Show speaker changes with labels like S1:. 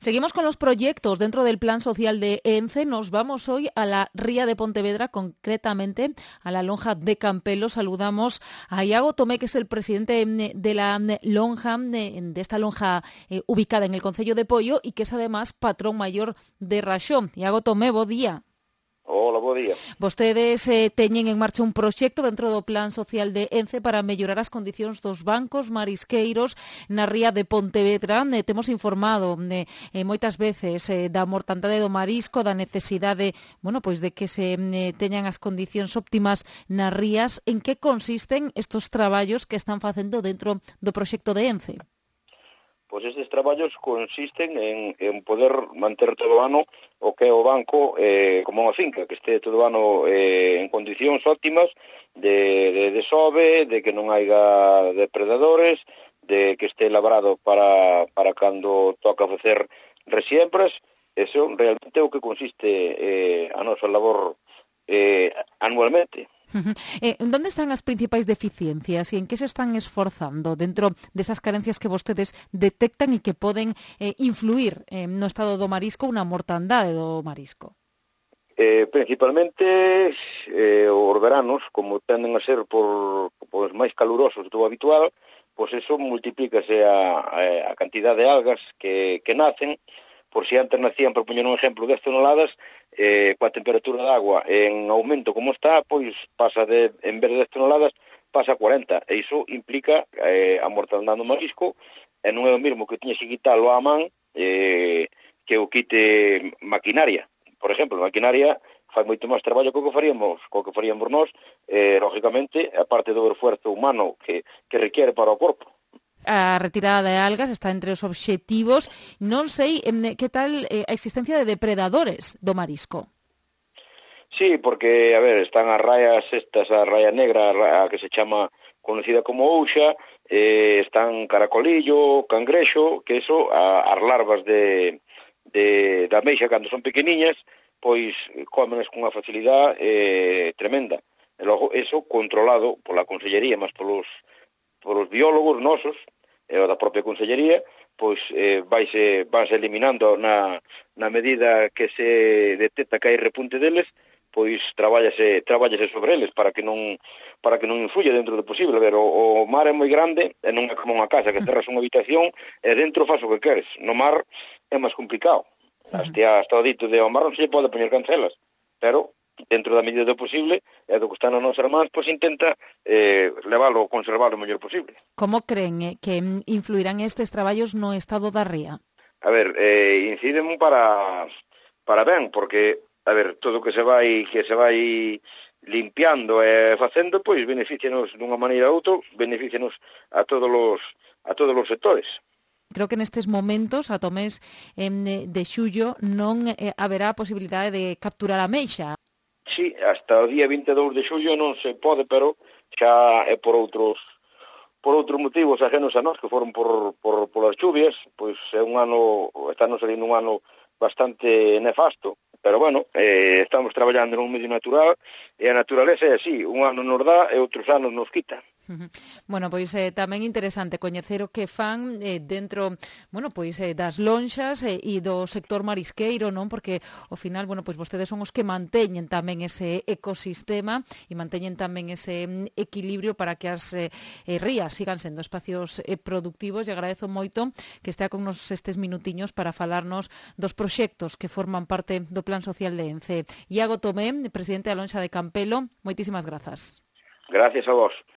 S1: Seguimos con los proyectos dentro del Plan Social de ENCE. Nos vamos hoy a la Ría de Pontevedra, concretamente a la Lonja de Campelo. Saludamos a Iago Tomé, que es el presidente de la lonja, de esta lonja ubicada en el concello de Poio y que es además patrón mayor de Raxó. Iago Tomé, bo día.
S2: Hola, bo día.
S1: Vostedes teñen en marcha un proxecto dentro do Plan Social de ENCE para mellorar as condicións dos bancos marisqueiros na ría de Pontevedra. Temos informado moitas veces da mortandade do marisco, da necesidade, pois de que se teñan as condicións óptimas nas rías. En que consisten estos traballos que están facendo dentro do proxecto de ENCE?
S2: Pois estes traballos consisten en poder manter todo o ano o que é o banco como unha finca, que este todo o ano en condicións óptimas de desove, de que non haiga depredadores, de que este labrado para cando toca facer resiembras. Eso realmente é o que consiste a nosa labor anualmente.
S1: ¿Dónde están as principais deficiencias e en que se están esforzando dentro desas carencias que vostedes detectan e que poden influir no estado do marisco, unha mortandade do marisco?
S2: Principalmente os veranos, como tenden a ser por máis calurosos do habitual, pois eso multiplícase a cantidad de algas que nacen. Por si antes nacían, por poñer un exemplo, 10 toneladas, coa temperatura da agua en aumento como está, pois pasa en vez de 10 toneladas, pasa a 40. E iso implica a mortandade do marisco, e non é o mesmo que tiñes que quitalo á man que o quite maquinaria. Por exemplo, maquinaria fai moito máis traballo co que faríamos nós, lógicamente, a parte do esforzo humano que requiere para o corpo.
S1: A retirada de algas está entre os obxectivos. Non sei que tal a existencia de depredadores do marisco.
S2: Sí, porque, a ver, están as raias estas, a raia negra, a que se chama conocida como ouxa, están caracolillo, cangrexo, que eso, as larvas da ameixa cando son pequeniñas, pois cómenes con unha facilidade tremenda. E logo, eso controlado pola Consellería, mas polos biólogos nosos, e o da propia Consellería, pois vanse eliminando na medida que se detecta que hai repunte deles, pois trabállase sobre eles para que non influya dentro do posible. A ver, o mar é moi grande e non é como unha casa que terras unha habitación e dentro faz o que queres. No mar é máis complicado. Hasta o dito de ao mar non se lle pode poñer cancelas, pero dentro da medida do posible e do que está nas nosas mans, pois intenta leválo, conservalo o mellor posible.
S1: Como creen que influirán estes traballos no estado da ría?
S2: A ver, inciden para ben, porque, a ver, todo o que se vai limpiando e facendo, pois beneficianos dunha maneira ou outra, beneficianos a todos os sectores.
S1: Creo que nestes momentos, ata o mes de xullo, non haberá a posibilidade de capturar a ameixa.
S2: Sí, hasta o día 22 de xullo non se pode, pero xa é por outros motivos ajenos a nós, que foron polas chuvias, pois é un ano, estamos salindo un ano bastante nefasto, pero bueno, estamos traballando nun medio natural, e a naturaleza é así, un ano nos dá e outros anos nos quita.
S1: Bueno, pois tamén interesante coñecer o que fan dentro, pois das lonxas e do sector marisqueiro, non? Porque ao final, pois vostedes son os que manteñen tamén ese ecosistema e manteñen tamén ese equilibrio para que as rías sigan sendo espacios productivos, e agradezo moito que estea con nos estes minutiños para falarnos dos proxectos que forman parte do Plan Social de ENCE. Iago Tomé, presidente da lonxa de Campelo, moitísimas grazas.
S2: Gracias a vos.